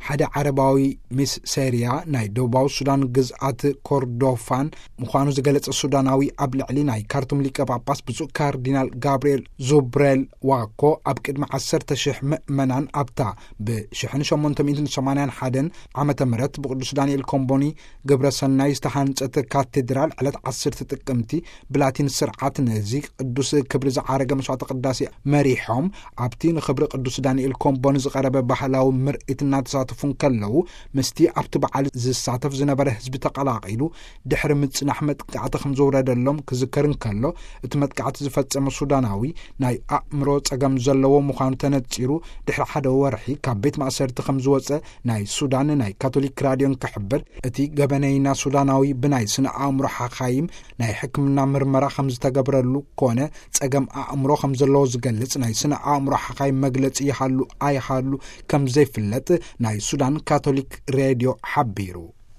ሓደ ዓረባዊ ሚስ ሴርያ ናይ ደቡባዊ ሱዳን ግዝኣት ኮርዶፋን ምዃኑ ዝገለጸ ሱዳናዊ፣ ኣብ ልዕሊ ናይ ካርቱም ሊቀ ጳጳስ ብፁዕ ካርዲናል ጋብርኤል ዙብሬል ዋኮ ኣብ ቅድሚ ዓሰርተ ሽሕ ምእመናን ኣብታ ብ ሸሞንተ ሚእትን ሰማንያን ሓደን ዓመተ ምህረት ብቅዱስ ዳንኤል ኮምቦኒ ግብረ ሰናይ ዝተሃንጸት ካቴድራል ዕለት ዓሰርተ ጥቅምቲ ብላቲን ስርዓት ነዚ ቅዱስ ክብሪ ዝዓረገ መስዋዕተ ቅዳሴ መሪሖም፣ ኣብቲ ንኽብሪ ቅዱስ ዳንኤል ኮምቦኒ ዝቐረበ ባህላዊ ምርኢት እናተሳተፉ እንከለዉ፣ ምስቲ ኣብቲ በዓል ዝሳተፍ ዝነበረ ህዝቢ ተቐላቒሉ ድሕሪ ምጽናሕ መጥቃዕቲ ከም ዘውረደሎም ክዝከር እንከሎ፣ እቲ መጥቃዕቲ ዝፈጸመ ሱዳናዊ ናይ ኣእምሮ ጸገም ዘለዎ ምዃኑ ተነጺሩ፣ ድሕሪ ሓደ ወርሒ ካብ ቤት ማእሰርቲ ከም ዝወጸ ናይ ሱዳን ናይ ካቶሊክ ራድዮ እንክሕብር፣ እቲ ገበነይና ሱዳናዊ ብናይ ስነ ኣእምሮ ሓኻይም ናይ ሕክምና ምርመራ ከም ዝተገብረሉ ኮነ ጸገም ኣእምሮ ከም ዘለዎ ዝገልጽ ናይ ስነ ኣእምሮ ሓኻይም መግለጺ ይሃሉ ኣይሃሉ ከም ዘይፍለጥ ናይ ሱዳን ካቶሊክ ሬድዮ ሓቢሩ።